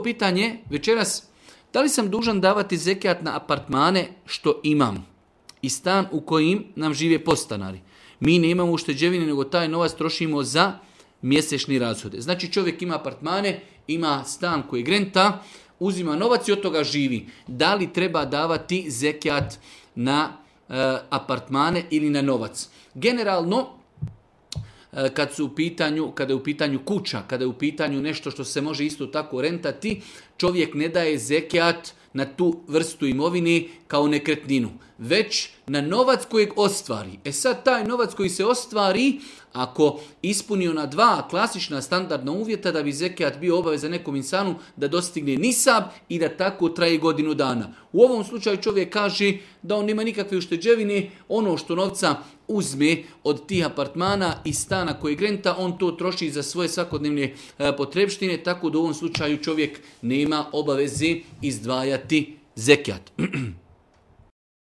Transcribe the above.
Prvo pitanje večeras, da li sam dužan davati zekijat na apartmane što imam i stan u kojim nam žive podstanari? Mi ne imamo ušteđevine, nego taj novac trošimo za mjesečni rashode. Znači čovjek ima apartmane, ima stan koji grenta, uzima novac i od toga živi. Da li treba davati zekijat na apartmane ili na novac? Generalno, kada je u pitanju kuća, kada je u pitanju nešto što se može isto tako rentati, čovjek ne daje zekijat na tu vrstu imovine kao nekretninu, već na novac kojeg ostvari. Sad taj novac koji se ostvari, ako ispuni ona dva klasična standardna uvjeta da bi zekijat bio obavezan nekom insanu da dostigne nisab i da tako traje godinu dana. U ovom slučaju čovjek kaže da on nema nikakve ušteđevine, ono što novca uzme od tih apartmana i stana koji grenta, on to troši za svoje svakodnevne potrebštine, tako da u ovom slučaju čovjek nema obaveze izdvajati zekijat.